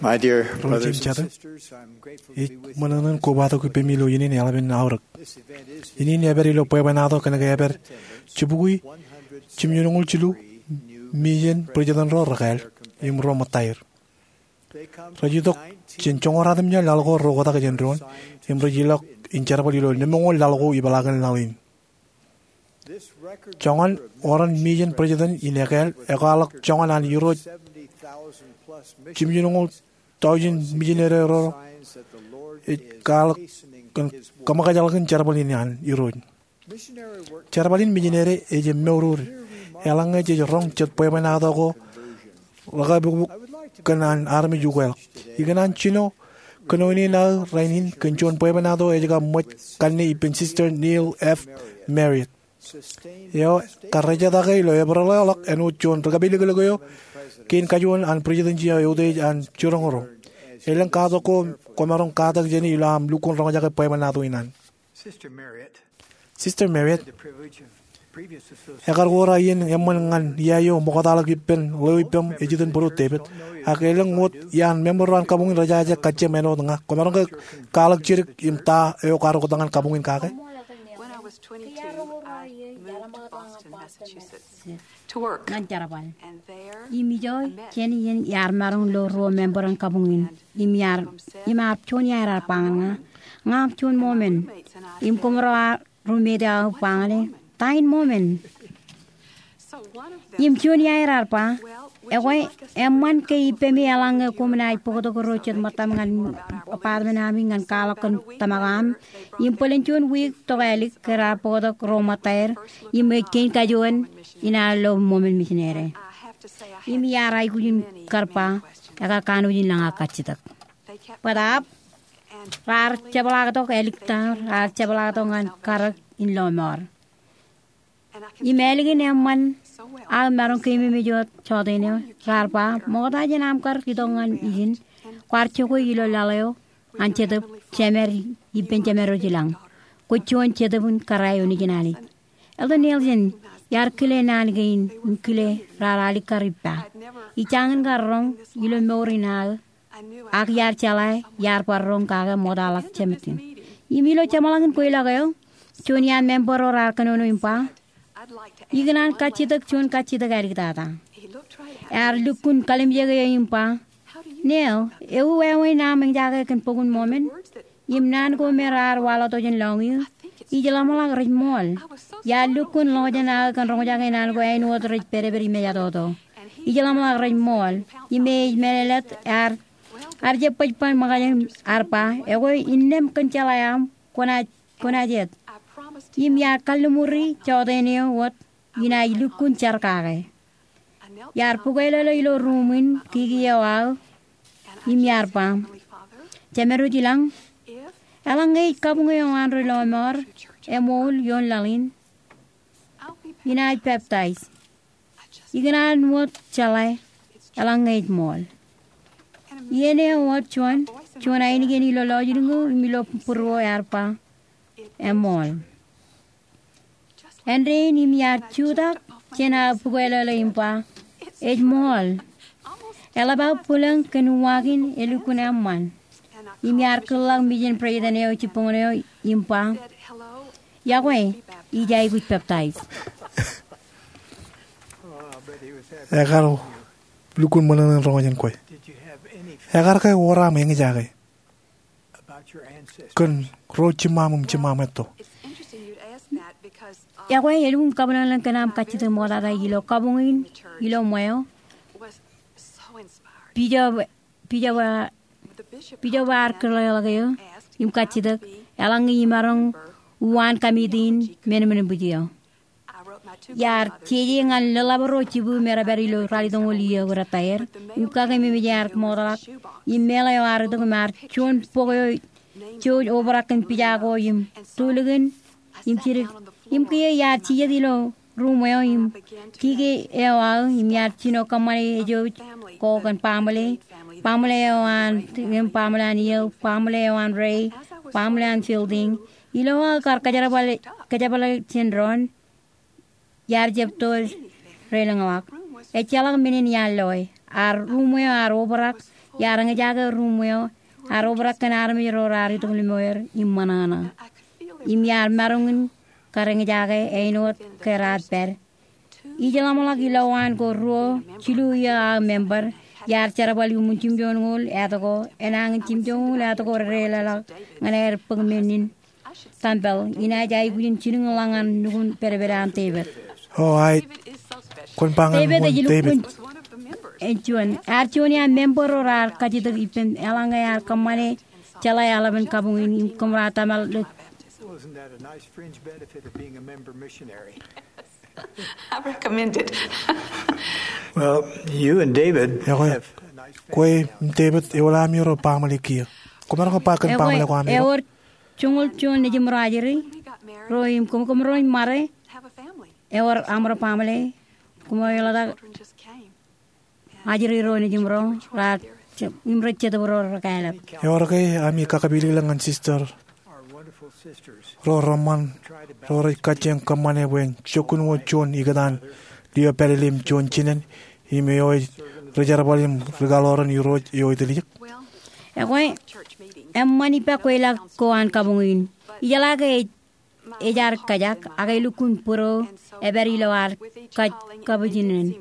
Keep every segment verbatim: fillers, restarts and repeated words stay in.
My dear brothers and sisters, I'm grateful to be with you. Ij ṃōṇōṇō in kobatok ippemi ilo iien in eḷap in aorōk. Iien in epād ilo bwebwenato kōnke epād jibukwi jimjuonñoul jilu Mijen Brijtōn ro rekāāl im ro ṃōttaer. Rej itok jān joñoul ratimjuon laḷ ko reoktak jān doon im rej ilọk in jerbal ilo lemñoul laḷ ko ipeḷaakin laḷ in. Joñan oran Mijen Brijtōn in ekāāl ekwaḷọk joñan an irooj jimjuonñoul taujin mijinere ro ej kwaḷọk kōn kōṃōkajḷọkin jerbal in an Irooj. Jerbal in mijinere ej jab mour. Eḷaññe jej roñ jet bwebwenato ko rekabuñbuk kōn an armej ukweḷọk. Ikōṇaan jino kōnono in aō rainin kōn juon bwebwenato ej kab ṃōj kanne ippān Sister Neal F. Marriott, eo karrejatake ilo Epereḷ eo ḷọk āinwōt juon rekapeliklik eo kein kajuon an Brijtōnji eo eutiej an jiroñ ro. Elōñ katak ko kwōmaroñ katak jāne ilo aṃ lukkuun roñjake bwebwenato in an. Sister Marriott, ekar wōr aō iien eṃṃan ñan ia eo ṃoktaḷọk ippān ḷeo ippaṃ ej iten Būruo David. Ak elōñ wōt iaan member ro an kabuñ in rej jaje kajjiem āinwōt ña. Kwōmaroñ ke kwaḷọk jidik im ta eo kwaar oktak ñan kabuñ in kake? When I was twenty-two, I moved to Boston, Massachusetts, to work. Ñan jerbal. And there, im ijo jān iien iar maroñ lo ruo member an kabuñ in. Im iar, im ear juon iaer ear ba ñan ña, ña am juon Mormon. Im kōmro roommate eo ba ñan e, ta in Mormon? Im juon iaer ear ba, ekwe, eṃṃan ke ippemi eḷaññe koṃ naaj bōktok ro jet ṃōttaṃ ñan apartment ami ñan kwaḷọk kōn tōmak eo aṃ. Im bōlen juon wiik tok ālik ke raar bōktok ro ṃōttaer, im ej kein kajuon in aō lo Mormon misinere. Im iar aikuj in kar ba, ekar kanooj in lañ aō kajjitōk. Bōtaab, raar jepḷaaktok āliktata, raar jepḷaaktok ñan karōk in lọmọọr. Im ālikin eṃṃan aō maroñ keememej wōt jọteen eo, raar ba, ṃokta jān aṃ kar itok ñan ijin, kwaar jokwe ilo laḷ eo an Jetōb, Jemed ippān Jemed eo jilañ. Kwōj juon Jetōb in kōrā eo nejin Anij. Elder Nelson, iar kile naan kein im kile raar alikkar ippa. Ij jañin kar roñ ilo mour in aō, ak iar jeḷā iar bar roñ kake ṃoktaḷọk Jemed in. Im ilo jeṃḷọkin kweilọk eo, juon iaan member ro raar kōnono im ba, ikōṇaan kajjitōk juon kajjitōk āliktata. Ear lukkuun kalimjeke eō im ba, Neil, ewi wāween aṃ eñjake kōn bok in Mormon? Im naan ko me raar waḷọk tok jān lọñiō, ij ḷōmṇak rej ṃool. Iar lukkuun ḷọk jān aō kōn roñjake naan ko āinwōt rej pedped im ejatoto. Ij ḷōmṇak rej ṃool. Im ej meḷeḷe, ear, ear jab baj ban ṃōkaj im ear ba, ekwe innām kōn jeḷā eo aṃ, kwōnaaj, kwōnaaj et. Im iar kalliṃuri jọteen eo wōt, inaaj lukkuun jar kake. Iar bukwelōlō ilo ruum in kiki eo aō, im iar ba, Jemed eo jilañ, eḷaññe ej kabuñ eo an ri lọmọọr emool ioon laḷ in, inaaj peptaij. Ikōṇaan wōt jeḷā eḷaññe ej ṃool. Iien eo wōt juon, juon ainikien ilo lọjilñū im ilo būruō ear ba, eṃool. Āindein im iar jutak jān aō bukwelōlō im ba, ej ṃool. Eḷap aō bwilōñ kōn uwaak in elukkuun eṃṃan. Im iar kōḷḷọk mijen president eo jibboñōn eo im ba, iọkwe, ij aikuj peptaij. Ekar lukkuun ṃōṇōṇō in roñjake kwe. Ekar ke wōr aṃ eñjake kōn ro jiṃṃaṃ im jiṃṃaṃ etto? Ekwe, elukkuun kabwilōñlōñ kōn aṃ kajjitōk ṃoktata ilo kabuñ in ilo ṃweo. Bishop, bishop, bishop ear kōḷḷọk eō im kajjitōk, eḷaññe imaroñ uwaan committee in men, men in bwij eo. Iar jeje ñan lōḷḷap ro jibū me rej pād ilo ralitōñoul iiō ko rōtaer, im kakememej ear ṃoktata, im meḷeḷe eo ear itok im ear juon bok eo jouj obrak kōn pija ko im tulikin, im jidik, im kiiō iar jijet ilo ruum eo im kiki eo aō im iar jino kōṃṃane ejouj ko kōn baaṃle, baaṃle eo an, im baaṃle an Iiō, baaṃle eo an Ray, baaṃle an Fielding, ilo aō kar kōjerbale, kōjerbale jān doon, iar jab tōl relōñḷọk. Ejjeḷọk men in iar loe. Ear ruum eo ear obrak Iar eñjake ruum eo, ear obrak kōn armej ro raar itok limo er im ṃōṇōṇō. Im iar maroñ in kar eñjake āinwōt ke raar pād. Ij ḷōmṇak ilowaan ko ruo, jilu iiō aō member, iar jerbal iuṃwin jimjuonñoul āt ko, enañin jimjuonñoul āt ko redeḷọk ñan aer bōk men in tempel, inaaj aikuj in jilkinḷọk ñan nukun pedped an David. O, aet. Kwōn ba ñan David ej wōn David? Lukkuun, ej juon. Ear juon iaan member ro raar kajjitōk ippān eḷaññe ear kōṃṃane jeḷā eḷap in kabuñ in im kōṃro tōmak ḷọk. Wasn't that a nice fringe benefit of being a member missionary? I recommend it. Well, you and David Ekwe, have a nice kwe family. Im David, ewōr ami ro baaṃle kiiō. Kwōmaroñ ke ba kōn baaṃle ko ami ro? Ewōr joñoul juon nejimro ajri ro im kōm, kōmro ṃare. Ewōr aṃro baaṃle. Koṃ eo eḷọk ajri ro nejimro raar im rej jetōb ro rekāālōt. Ewōr ke ami kakapilōk ñan sister ro reṃṃan ro rej kajjioñ kōṃṃane bwe en jokkun wōt juon ikōtaan lio pālele im juon jinen im eo ej ri jerbal im ri kaḷoran Irooj eo etiljek? Ekwe, eṃṃan ippa kweilọk ko an kabuñ in. Ijeḷā ke ej ejaar kajak, ak elukkuun būro epād ilo ad kaj kabwijinen.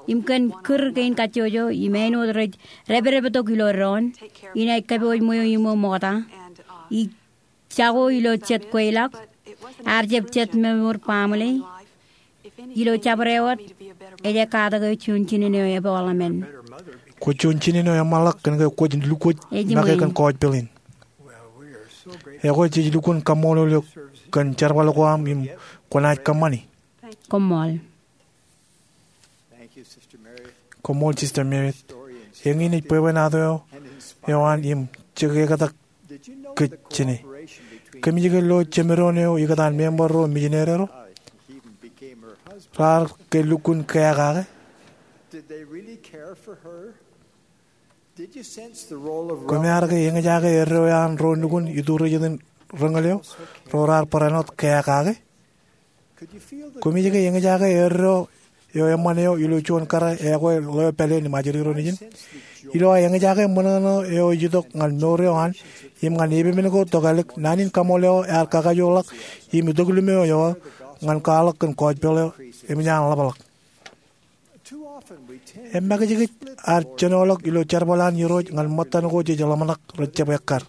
Im kōn kūr kein kajjojo, im āinwōt rej depdeptok ilo doon, inaaj kōpooj ṃweo iṃō ṃokta. Ij jako ilo jet kweilọk, ear jab jet ṃōṃur baaṃle. Ilo jabdewōt, ej katak eo juon jinen eo epooḷ emān. Kwōj juon jinen eo eṃṃanḷọk kōn ke kwōj lukkuun make kōn gospel in. Ekwe jej lukkuun kaṃṃoolol eok kōn jerbal ko aṃ im kwōnaaj kōṃṃani. Koṃṃool. Koṃṃool Sister Meredith. Eñin ej bwebwenato eo an im jekektak kōj jāne. Kōmij ke lo jemedoon eo ikōtaan member ro misineri ro? Raar ke lukkuun keakake? Koṃ ar ke eñjake eddo eo an ro nukun iturej in reñal eo ro raar barāinwōt keakake? Koṃij ke eñjake eddo eo eṃṃan eo ilo juon kōrā ekwe ḷeo pāleen im ajri ro nejin? Ilo aō eñjake ṃōṇōṇō eo ej itok ñan mour eo an im ñan epepen ko tokālik, naan in kaṃool eo ear kakajoorḷọk im itok limo eo ñan kwaḷọk kōn gospel eo eṃōj an ḷapḷọk. Eṃṃakijkij ar jenoḷọk ilo jerbal an Irooj ñan ṃōttan ko jej ḷōmṇak rej jab ekkar.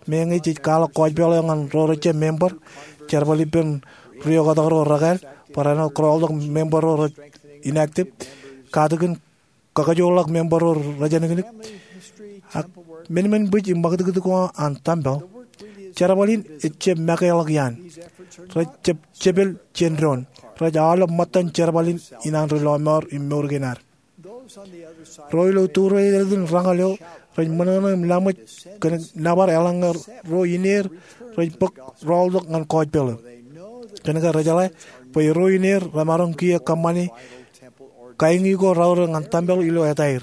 Meñe jej kwaḷọk gospel eo ñan ro rejjab member, jerbal ippān ri-oktak ro rekāāl, barāinwōt kōrọọltok member ro rej inactive, katakin kakajoorḷọk member ro rejenōknōk. Ak men, men bwij im ṃakūtkūt ko an tempel, jerbal in ejjab makeḷọk iaan. Rej jab jepel jān doon. Rej aolep ṃōttan jerbal in an ri lọmọọr im mour kein ad. Ro ilo tūrerein reñal eo rej ṃōṇōṇō im laṃōj kōn nōbar eḷaññe ro ineer rej bōk rọọltok ñan gospel eo. Kōn ke rejeḷā bwe ro ineer remaroñ kiiō kōṃṃane kaiñi ko raorōk ñan tempel ilo etaer.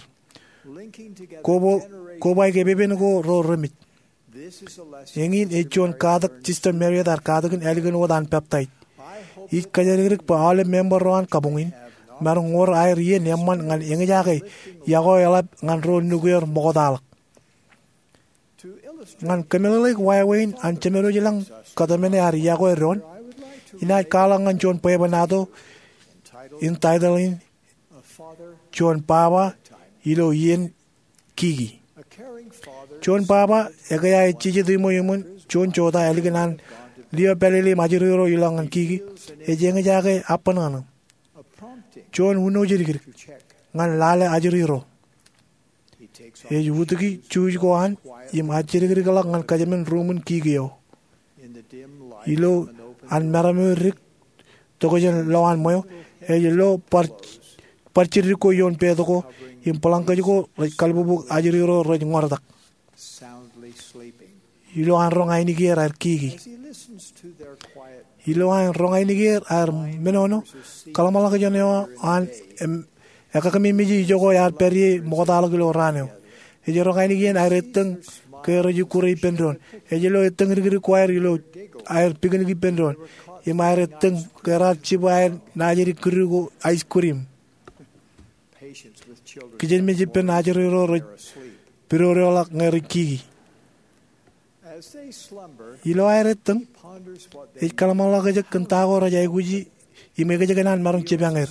Koba, kobaik epepen ko ro remej. Eñin ej juon katak Sister Meredith ear katakin ālikin wōt an peptaij. Ij kōjalikdik bwe aolep member ro an kabuñ in maroñ wōr aer iien eṃṃan ñan eñjake yokwe eḷap ñan ro nukier ṃoktaḷọk. Ñan kōmeḷeḷeik wāween an jemed wōj ilañ kōtmāne ad yokwe doon, inaaj kwaḷọk ñan juon bwebwenato in title in Juon Baba Ilo Iien Kiki. Juon baba eo ekea ej jijet iṃweo iṃōn juon jota ālikin an lio pālele im ajri ro ilọk ñan kiki, ej eñjake abṇōṇō, juon uno jidikdik ñan lale ajri ro. Ej utiki juuj ko an im ajjidikdikḷọk ñan kōjmān ruuṃwin kiki eo. Ilo an maroñ dik tokjān lowaan ṃweo, ej lo bar, bar jiddik ko ioon pet ko im bōlañkōj ko rej kalbubuk ajri ro rej ñoortak. Ilo an roñ ainikieer aer kiki. Ilo an roñ ainikieer aer menono, kōḷmānḷọkjeṇ eo an im ekakememej ijoko ear pād ie ṃoktaḷọk ilo raan eo. Ej roñ ainikien aer ettōñ ke rej ikkure ippān doon. Ej lo ettōñ dikdik ko aer ilo aer picnic ippān doon. Im aer ettōñ ke raar jibwe aer naajdik kūdu ko ice cream. Kijenmej ippān ajri ro rej pidodoḷọk ñe rej kiki. Ilo aer ettōñ, ej kōḷmānḷọkjeṇ kōn ta ko rej aikuji im ekjekōṇaan maroñ jipañ er.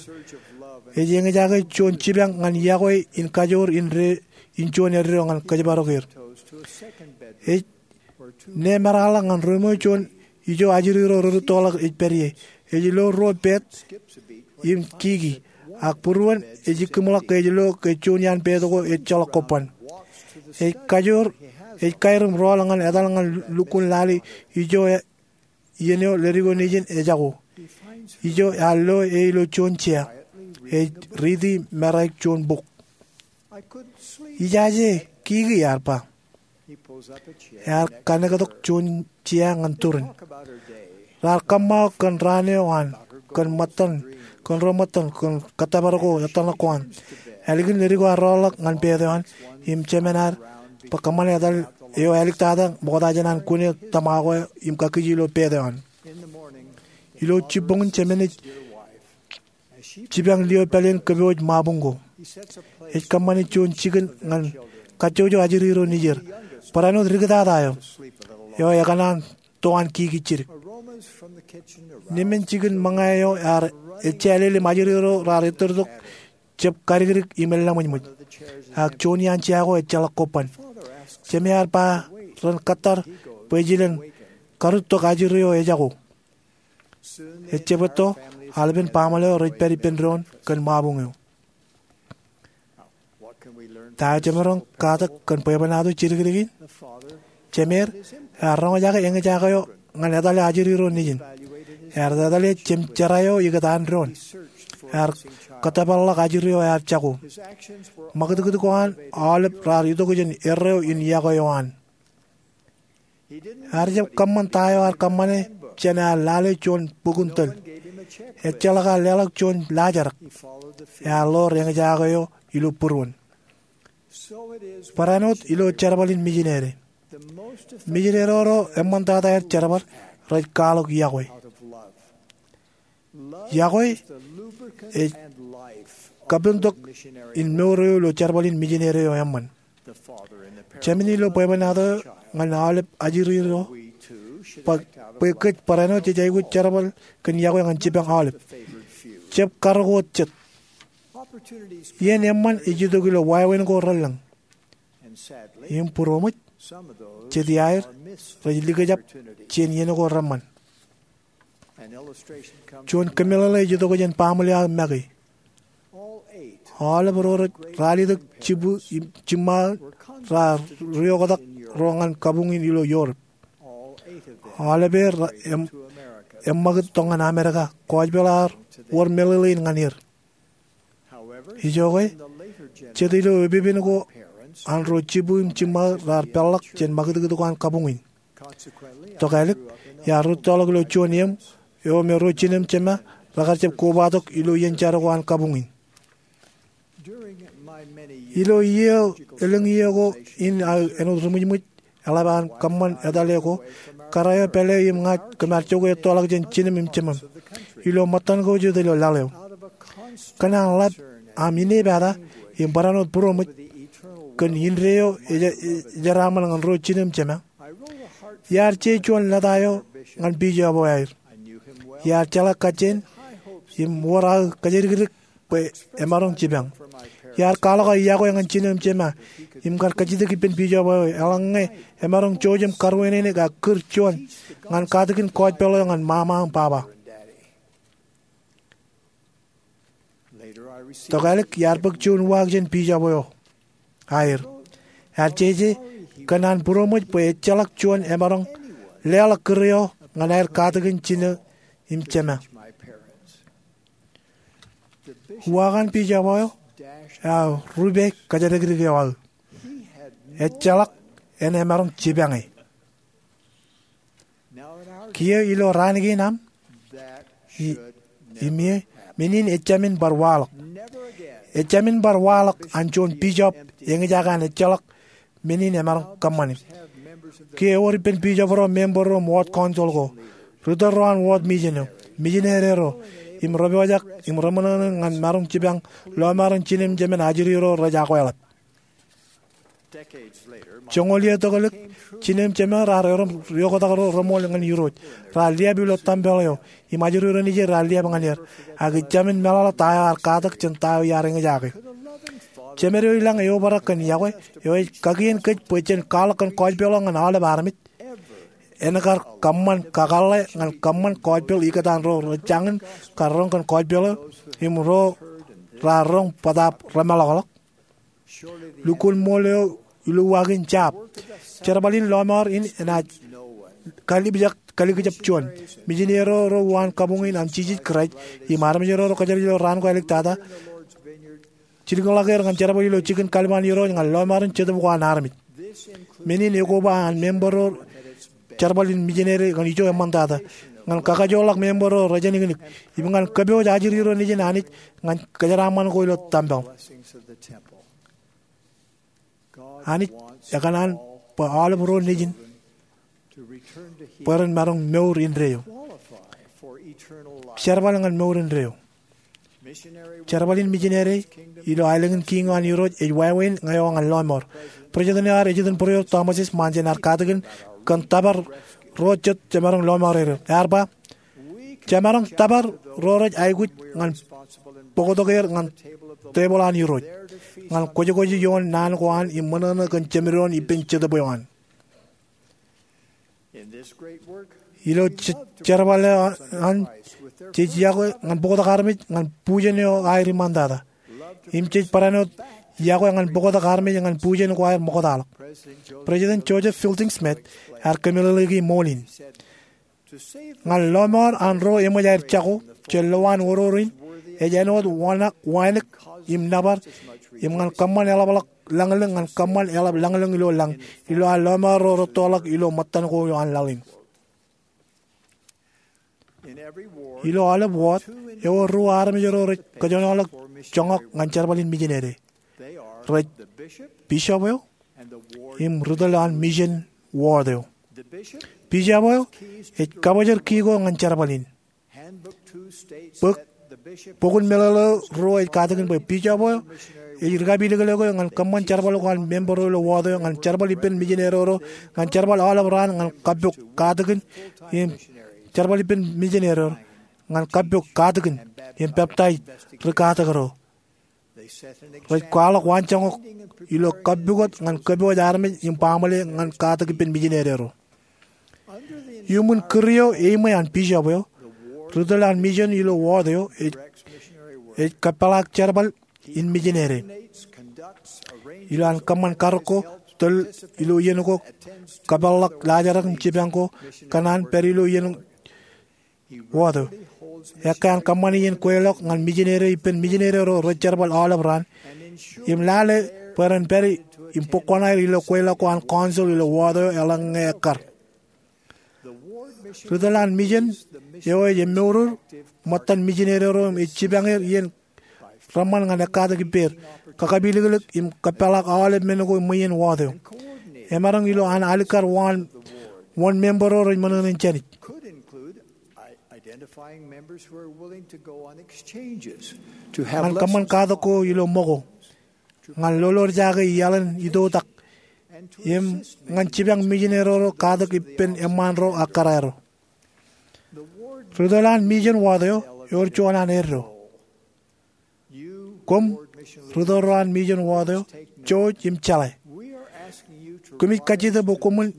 Ej eñjake juon jipañ ñan yokwe in kajoor in juon eddo ñan kōjparokier. Ej ne meraḷọk ñan ruo ṃweo juon ijo ajri ro rūttoḷọk ej pād ie. Ej lo ruo pād im kiki, ak būruon ej ikkimḷọk ke ej lo ke juon iaan pād ko ejjeḷọk kobban. Ej kajoor, ej kairim rọọl ñan etal ñan lukkuun lale ijo iien eo leddik eo nejin ejako. Ijo ear lo e ilo juon jea. Ej riiti meraik juon bok. Ijaje kiki, ear ba. Ear kanektok juon jea ñan turin. Raar kōṃṃao kōn raan eo an, kōn ṃōttan, kōn ruo ṃōttan, kōn kōttōpar ko etal ṇe ko an. Ālikin leddik eo ear rọọlḷọk ñan pād eo an, im jemān ear bwe kōṃṃane etal eo āliktata ṃoktata jān an kune tōmak eo im kakkije ilo pād eo an. Ilo jibboñin jemān ej jipañ lio pāleen kōpooj ṃabuñ ko. Ej kōṃṃane juon jikin ñan kajjojo ajri ro nejier. Barāinwōt diktata eo, eo ekōṇaan to an kiki jidik. Nemen jikin ṃōñā eo ear ejālel im ajri ro raar ettōrtok jab kadikdik im eḷḷaṃōjṃōj. Ak juon iaan jea ko ejjeḷọk kobban. Jemān ear ba ren kōttar bwe ej ilen karūttok ajri eo ejako. Ejjab etto, aolepen baaṃle eo rej pād ippān doon kōn ṃabuñ eo. Ta eo jemaroñ katak kōn bwebwenato jidikdik in? Jemed ear roñjake eñjake eo ñan etale ajri ro nejin. Ear etale jemjerā eo ikōtaan doon. Ear kōttōpar ḷọk ajri eo ear jako. Ṃakūtkūt ko an aolep raar itok jān erreo in yokwe eo an. Ear jab kōṃṃan ta eo ear kōṃṃane jān ear lale juon bukun tōl. Ejjeḷọk ear leḷọk juon laajrak. Ear ḷoor eñjake eo ilo būruon. Barāinwōt ilo jerbal in mijinede. Mijinede ro eṃṃantata aer jerbal rej kwaḷọk yokwe. Yokwe ej kapentok in mour eo ilo jerbal in mijinede eo eṃṃan. Jemān ilo bwebwenato ñan aolep ajri ro bwe kōj barāinwōt jej aikuj jerbal kōn yokwe ñan jipañ aolep. Jab karōk wōt jet. Iien eṃṃan ej itok ilo wāween ko relōñ. Im būroṃōj, jet iaer rej likjab jān iien ko reṃṃan. Juon kōmeḷeḷe ej itok jān baaṃle aō make. Aolep ro rej ralitōk jibwin im jiṃṃaō raar rioktak ro ñan kabuñ in ilo Europe. Aolepen er eṃṃakūt tok ñan Amerika. Kōjpeḷ ear wōr meḷeḷein ñan er. Ijoke, jet ilo epepen ko an ro jibwin im jiṃṃaō raar peḷḷọk jān ṃakūtkūt ko an kabuñ in. Tokālik, iar rūttoḷọk ilo juon eṃ eo me ro jinōm jemā rekar jab kobatok ilo iien jar ko an kabuñ in. Ilo iiō, elōñ iiō ko in aō āinwōt ri ṃwijṃwij eḷap an kōṃṃan etale ko, kōrā eo pālle eo im ña kōm ar jokwe ettoḷọk jān jinōm im jemām ilo ṃōttan ko jete ilo laḷ eo. Kōn an ḷap aṃ inepata im barāinwōt būroṃōj kōn indeeo ej jeraaṃṃan ñan ro jinōm jemā, iar je juon lōta eo ñan bishop eo aer. Iar jeḷā kajjien im wōr aō kōjatdikdik bwe emaroñ jipañ. Iar kwaḷọk aō yokwe ñan jinōm jemā im kar kajjitōk ippān bishop eo eḷaññe emaroñ jouj im karuwaineneik ak kūr juon ñan katakin kōjpeḷ eo ñan ṃaṃa im baba. Tokālik iar bōk juon uwaak jān bishop eo aer. Ear jeje kōn an būroṃōj bwe ejjeḷọk juon emaroñ leḷọk kūr eo ñan aer katakin jinōm im jemā. Uwaak an bishop eo ear rupe kōjatdikdik eo aō. Ejjeḷọk en emaroñ jipañe. Kiiō ilo raan kein aṃ, i, im ie, men in ejāmin bar waḷọk. Ejāmin bar waḷọk an juon bishop eñjake an ejjeḷọk men in emaroñ kōṃṃani. Kiiō ewōr ippān bishop ro, member ro im ward council ko, ritōl ro an ward mission eo, missionary ro, im rej pojak im reṃōṇōṇō ñan maroñ jipañ lọmọọren jinōm jemān ajri ro rej akweḷap. Joñoul iiō tokōlik, jinen im jemed raar erom riooktak ro reṃool ñan Irooj. Raar liab ilo tempel eo im ajri ro nejin raar liab ñan er. Ak ij jāmin meḷọkḷọk ta eo ear katak jān ta eo iar eñjake. Jemed eo ilañ eobrak kōn yokwe eo ej kakien kōj bwe jen kwaḷọk kōn gospel eo ñan aolep armej. En kar kōṃṃan kakōḷḷe ñan kōṃṃan gospel ikōtaan ro rej jañin kar roñ kōn gospel eo im ro raar roñ bōtaab remeḷọkḷọk. Lukkuun ṃool eo iluwaak in jab. Jerbal in lọmọọr in enaaj kalipjak kalikjab juon. Mijineri ro ro uwaan kabuñ in an Jisōs Kraist im armej ro ro kōjatdikdik ilo raan ko āliktata jilkinḷọk er ñan jerbal ilo jikin kalban Irooj ñan lọmọọr in Jetōb ko an armej. Men in ekoba an member ro jerbal in mijineri ñan ijo eṃṃantata, ñan kakajoorḷọk member ro rej āniknik, im ñan kōpooj ajri ro nejin Anij ñan kōjeraaṃṃan ko ilo tempel. Anij ekōṇaan bwe aolep ro nejin bwe ren maroñ mour indeeo. Jerbal ñan mour indeeo. Jerbal in mijineri ilo aelōñ in Kiiñ eo an Irooj ej wāween ñan lọmọọr. President eo ear ejitōnbōro, Thomas S. Monson, ear katakin kōn tōpar ro jet jemaroñ lọmọọr er. Ear ba, jemaroñ tōpar ro rej aikuj ñan bōktok er ñan tebōḷ an Irooj, ñan kwōjkwōj ioon naan ko an im ṃōṇōṇō kōn jemed eo an ippān Jetōb eo an. Ilo jerbal eo an, jej yokwe ñan bōktok armej ñan bujen eo aer iṃaantata. Im jej barāinwōt yokwe ñan bōktok armej ñan bujen ko aer ṃoktaḷọk. President Joseph Fielding Smith ear kōmeḷeḷeiki ṃool in, ñan lọmọọr an ro eṃōj aer jako jān lowaan oror in, ej āinwōt wānōk im nōbar, im ñan kōṃṃan eḷapḷọk lañlōñ ñan kōṃṃan eḷap lañlōñ ilo lañ, ilo aer lọmọọr ro rettoḷọk ilo ṃōttan ko an laḷ in. Ilo aolep ward ewōr ruo armej ro rej kōjenolọk joñak ñan jerbal in mijineri. Rej bishop eo im ri tōl an mission ward eo. Bishop eo ej kabōjor ki ko ñan jerbal in. Bok in meḷeḷe eo ruo ej katakin bwe bishop eo ej ri kapilōklōk eo ñan kōṃṃan jerbal ko an member ro ilo ward eo, ñan jerbal ippān mijineri ro, ñan jerbal aolep raan ñan kappok katakin im jerbal ippān mijineri ro, ñan kappok katakin im peptaij ri katak ro. Rej kwaḷọk waanjoñak ilo kappukot ñan kōpooj armej im baaṃle ñan katak ippān mijineri ro. Iuṃwin kūr eo eṃṃan an bishop eo, ri tōl an mission ilo ward eo ej kōpeḷḷọk jerbal in mijineri. Ilo an kōṃṃan karōk ko, tōl ilo iien ko, kōpeḷḷọk laajrak im jipañ ko, kōṇaan pād ilo iien ward eo. Ekkā an kōṃṃan iien kweilọk ñan mijineri ippān mijineri ro rej jerbal aolep raan, im lale bwe ren pād im bōk kuṇaer ilo kweilọk ko an council ilo ward eo eḷaññe ekkar. Ri tōl an mission eo ej emourur ṃōttan mijineri ro im ej jipañ er iien reṃṃan ñan ekkatak ippāer, kakapilōklōk im kōpeḷḷọk aolep men ko ṃweien ward eo. Emaroñ ilo an alikkar wōn member ro rej ṃōṇōṇō jān Anij, ñan kōṃṃan katak ko ilo ṃōko, ñan lolorjake iaḷ in itoitak, im ñan jipañ mijineri ro katak ippān eṃṃaan ro ak kōrā ro. Ri tōl an mission ward eo ewōr juon an eddo. Koṃ ri tōl ro an mission ward eo, jouj im jeḷā. Koṃij kajjitōk bwe koṃwin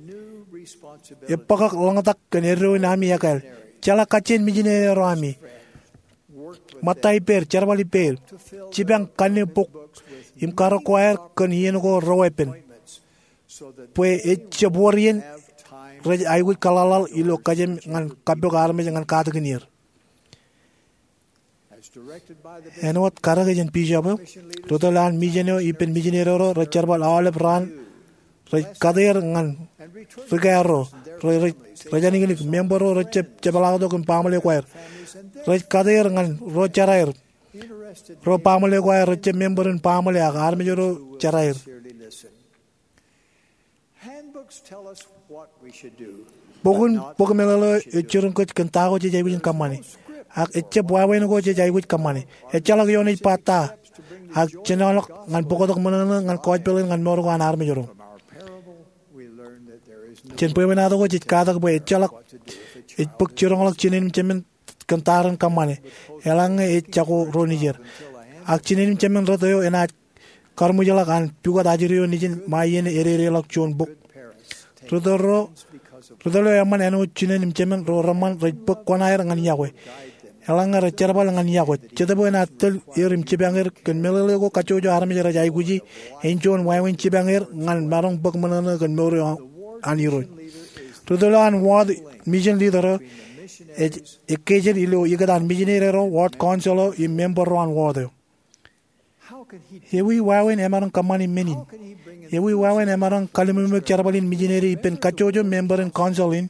ebōkḷọk ḷōñtak kōn eddo in ami ekāāl. Jeḷā kajjien mijineri ro ami. Ṃōtta ippāer, jerbal ippāer, jipañ kanniōk bok im karōk ko aer kōn iien ko reweeppān, bwe ejjab wōr iien rej aikuj kōḷaḷḷaḷ ilo kōjām ñan kappok armej ñan katakin er. Āinwōt karōke jān bishop eo, ri tōl an mission eo ippān mijineri ro rej jerbal aolep raan, rej kate er ñan ri kāāl ro, rej āniknik, member ro rejjab jepḷaaktok im baaṃle ko aer. Rej kate er ñan ro jeraer, ro baaṃle ko aer rejjab member in baaṃle ak armej ro jeraer. Bok in bok meḷeḷe eo ej jiroñ kōj kōn ta ko jej aikuj in kōṃṃane. Ak ejjab wāween ko jej aikuj kōṃṃane. Ejjeḷọk ioon ej ba ta ak jinoḷọk ñan bōktok ṃōṇōṇō ñan gospel in ñan mour ko an armej ro. Jān bwebwenato ko jej katak bwe ejjeḷọk, ej bōk jiroñḷọk jinen im jemān kōn tar in kōṃṃane, eḷaññe ej jako ro nejier. Ak jinen im jemān rot eo enaaj kar ṃwijḷọk an pukot ajri eo nejin ṃae iien ededeḷọk juon bok. Ri tōl ro, ri tōl eo eṃṃan āinwōt jinen im jemān ro reṃṃan rej bōk kuṇaer ñan yokwe. Eḷaññe rej jerbal ñan yokwe, Jetōb eo enaaj tōl er im jipañ er kōn meḷeḷe ko kajjojo armej rej aikuji, āinjuon wāween jipañ er ñan maroñ bōk ṃōṇōṇō kōn mour eo an Irooj. Ri tōl eo an ward mission leader eo ej ekkejel ilo ikōtaan missionary ro, ward council eo im member ro an ward eo. Ewi wāween emaroñ kōṃṃani men in? Ewi wāween emaroñ kallimwemwek jerbal in missionary ippān kajjojo member in council in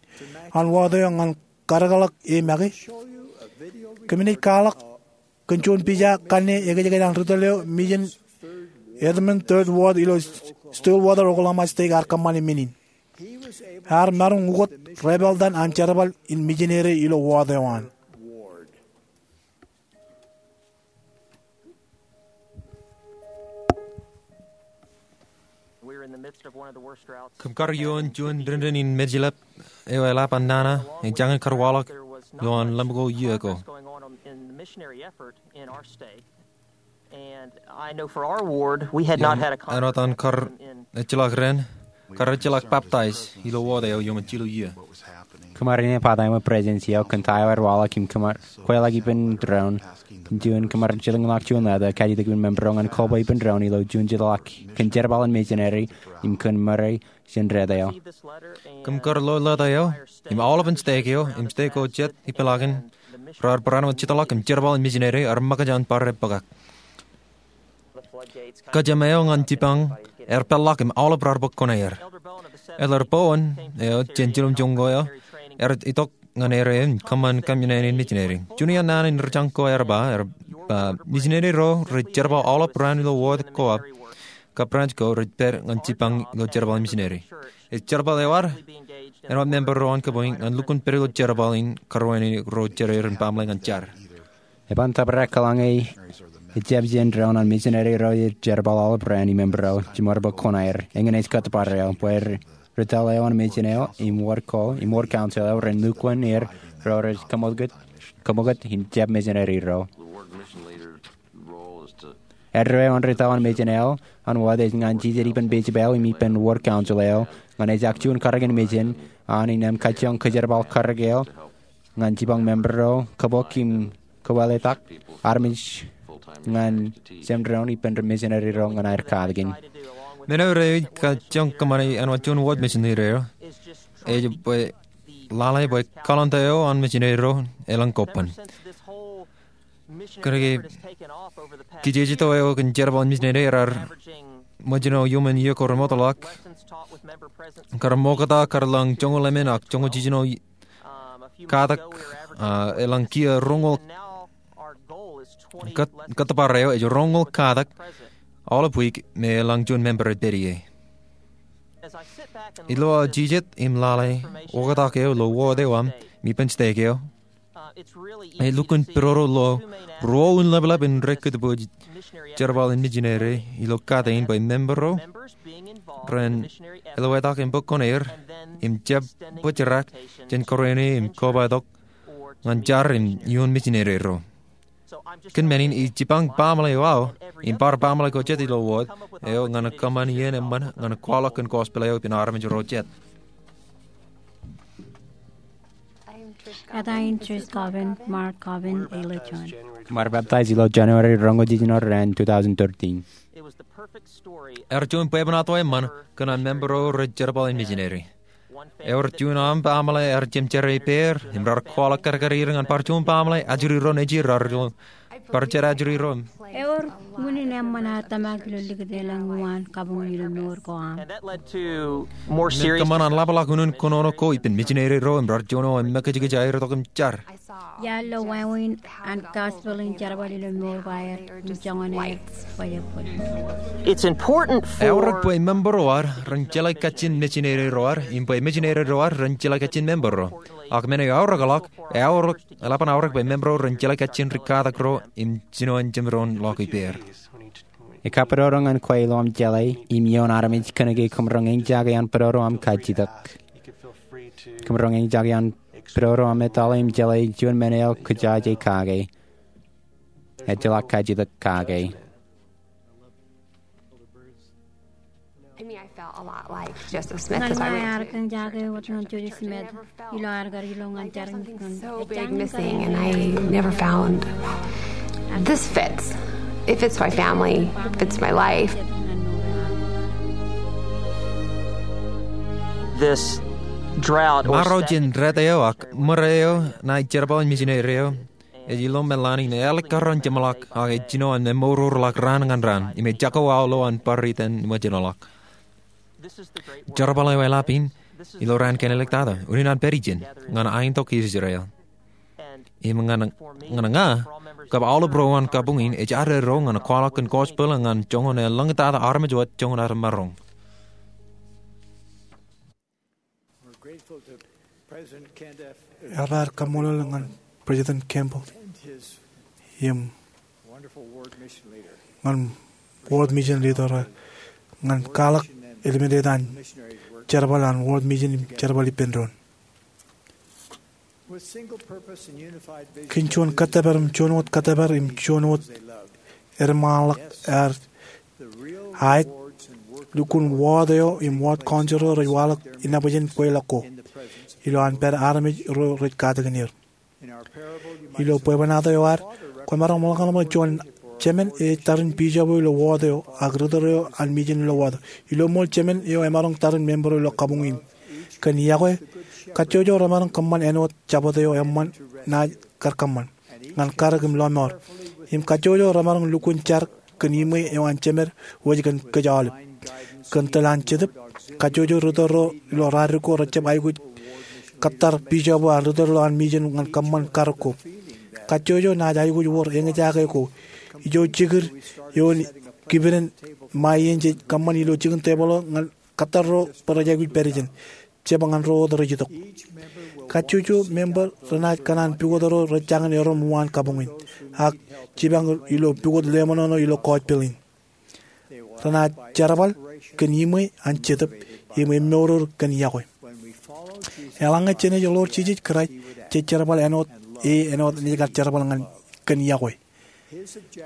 an ward eo ñan karōkḷọk e make? Kōmij kwaḷọk kōn juon pija kanne ekōjkan an ri tōl eo mission Edmond third ward ilo Stillwater, Oklahoma State ear kōṃṃani men in. Ear maroñ ukōt rebeltan an jerbal in missionary ilo ward eo an. Kōm kar ioon juon dendin in mejlep eo eḷap an nana, ej jañin kar waḷọk ilo an lemko iiō ko. Āinwōt an kar ejjeḷọk ren, kar ejjeḷọk baptize ilo ward eo iuṃwin jilu iiō. Kōm ar inepata ṃōk President eo kōn ta eo ear waḷọk im kōm ar kweilọk ippān doon. Kōn juon kōm ar jilkinḷọk juon leta kajjitōk ippān member ro ñan kobwe ippān doon ilo juon jitōḷọk kōn jerbal in missionary im kōn ṃōrā jān rot eo. Kōm kar lo leta eo im aolepān stake eo im stake ko jet ippaḷakin raar barāinwōt jitōḷọk im jerbal in missionary ear ṃōkaj an bar ebbōkak. Kōjām eo ñan jipañ ear peḷḷọk im aolep raar bōk kuṇaer. Elder Bowen eo jān jiljilimjuon ko eo ear itok ñan er eo im kōṃṃan kōmnaen in missionary. Juon iaan naan in ri jañ ko ear ba, ear ba, missionary ro rej jerbal aolep raan ilo ward ko ak kab branch ko rej pād ñan jipañ ilo jerbal in missionary. Ej jerbal eo ad āinwōt member ro an kōpooj ñan lukkuun pād ilo jerbal in karuwainene ro jereir im baaṃle ñan jar. Eban tōprak eḷaññe ejjab jān doon an missionary ro ej jerbal aolep raan im member ro jiṃor bōk kuṇaer. Eñin ej kōttōpar eo bwe ri tōl eo an mission eo im ward ko im ward council eo ren lukkuun er ro rej kōṃakūt, kōṃakūt im jab missionary ro. Eddo eo an ri tōl an mission eo an ward ej ñan jijet ippān pejpād eo im ippān ward council eo ñan ejak juon karōk in mission an innām kajjioñ kōjerbal karōk eo ñan jipañ member ro kōbōk im kōwōletak armej ñan jemdoon ippān ri missionary ro ñan aer katakin. Men eo rej kajjioñ kōṃṃane āinwōt juon ward mission leader eo ej bwe lale bwe calendar eo an missionary ro elōñ kobban. Kōnke kijeje eo kōn jerbal in missionary raar ṃōjṇọ iuṃwin iiō ko remootḷọk, kar ṃokta kar lōñ joñoul emān ak joñoul jiljino katak, ah, elōñ kiiō roñoul, kōt-, kōttōpar eo ej roñoul katak aolep wiik me elōñ juon member ej pād ie. Ilo aō jijet im lale oktak eo ilo ward eo aṃ im ippān stake eo, ej lukkuun pidodo ilo ruo un leplep in rekūtbwij jerbal in missionary ilo kate in bwe member ro ren eloetak im bōk kuṇaer im jab bōjrak jān karuwainene im kobatok ñan jar im iuṃwin missionary ro. Kōn men in ij jipañ baaṃle eo aō im bar baaṃle ko jet ilo ward eo ñan kōṃṃan iien eṃṃan ñan kwaḷọk kōn gospel eo ippān armej ro jet. Eta in Trish Coven, Mark Coven, ilo John. Kōm ar baptize ilo January roñoul jiljino raan two thousand thirteen. Ear juon bwebwenato eṃṃan kōn an member ro rej jerbal in missionary. Ewōr juon aṃ baaṃle ear jemjerā ippāer im raar kwaḷọk kadkad er ñan bar juon baaṃle ajri ro nejier raar ilo bar jet ajri ro. Ewōr unin eṃṃan ad tōmak ilo likūt elōñ uwaan kabuñ ilo mour ko aṃ. Im kōṃṃan an ḷapḷọk unin kōnono ko ippān missionary ro im rar joñoul im mekijkij aer itok im jar. Iar lo wāween an gospel in jerbal ilo mour ko aer im joñan aer bwebwenato. Eaorōk bwe member ro ad ren jeḷā kajjien missionary ro ad im bwe missionary ro ad ren jeḷā kajjien member ro. Ak men eo eaorōkḷọk, eaorōk, eḷap an aorōk bwe member ro ren jeḷā kajjien ri katak ro im jinoin jemdoon ḷọk ippāer. Ekabōjrak ñan kwe ilo aṃ jeḷā im ioon armej kōnke kōṃro eñjake an bōjrak aṃ kajjitōk. Kōṃro eñjake an bōjrak aṃ etale im jeḷā juon men eo kōjaje kake. Ejjeḷọk kajjitōk kake. To me, I felt a lot like Joseph Smith Ñan as I ṇae went ad through kōn it. jake I wōt never ñan Joseph felt Smith like there was ilo something ad kar ilo ñan so big jake missing, and I never found. This fits. It fits my family, fits my life. This drought or Maro jān jet eo ak ṃōrā eo ṇae jerbal in misineri eo ej ilo Melanie ṇe ālikkar an jeṃḷọk ak ej jino an eṃoururḷọk raan ñan raan im ej jako aolep an bar itan ṃōjṇọḷọk. Jerbal eo eḷap in ilo raan kein āliktata unin an pād ijeṇ ñan aiñtok Israel. Im ñan, ñan ña kab aolep ro an kabuñ in ej ad eddo ñan kwaḷọk kōn gospel ñan joñan eo ḷōñtata armej wōt joñan ad maroñ. Ear kaṃṃoolol ñan President Kimball im ñan ward mission leader eo ñan kwaḷọk ālimen eo an jerbal an ward mission im jerbal ippān doon. Kōn juon kōttōpar im juon wōt kōttōpar im juon wōt eṃṃanḷọk ear aet, lukkuun ward eo im ward council eo rej waḷọk inepojān kweilọk ko ilo an pād armej ro rej katakin er. Ilo bwebwenato eo ad, kwōmaroñ ṃōḷkōḷmān juon jemān ej tarrin bishop eo ilo ward eo ak ritōl eo an mission ilo ward eo. Ilo ṃool jemān eo emaroñ tarrin member eo ilo kabuñ in. Kōn yokwe, kajjojo remaroñ kōṃṃan āinwōt jabōt eo eṃṃan naaj kar kōṃṃan ñan karōk im lọmọọr. Im kajjojo remaroñ lukkuun jar kōn iṃwe eo an jemed wōj kōn kōj aolep. Kōn tōl an jetōb, kajjojo ritōl ro ilo radik ko rejjab aikuj kōttar bishop eo an ritōl ro an mission ñan kōṃṃan karōk ko. Kajjojo naaj aikuj wōr eñjake ko ijo jekid eo in kipenen ṃae iien jej kōṃṃan ilo jikin tebōḷ eo ñan kōttar ro bwe rej aikuj pād ijeṇ, jab ñan ro wōt rej itok. Kajjojo member renaaj kōṇaan pukot ro rej jañin erom uwaan kabuñ in ak jipañ ilo pukot leṃōṇōṇō ilo gospel in. Renaaj jerbal kōn iṃwe an jetōb im eṃṃourur kōn yokwe. Eḷaññe jenaaj ḷoor Jisōs Kraist, jej jerbal āinwōt e, āinwōt naaj kar jerbal ñan kōn yokwe.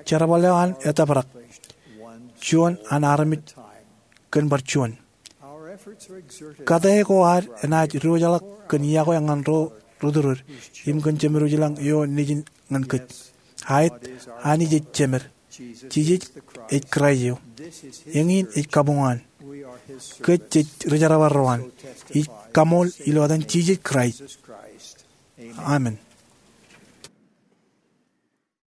Jerbal eo an etōprak, juon an armej kōn bar juon. Kate ko ad enaaj diwōjḷọk kōn yokwe ñan ro ri-tōl im kōn Jemed wōj ilañ eo nejin ñan kōj. Aet, Anij ej Jemed. Jisōs ej Kraist eo. Eñin ej kabuñ an. Kōj jej rijerbal ro an. Ij kaṃool ilo etan Jisōs Kraist. Amen.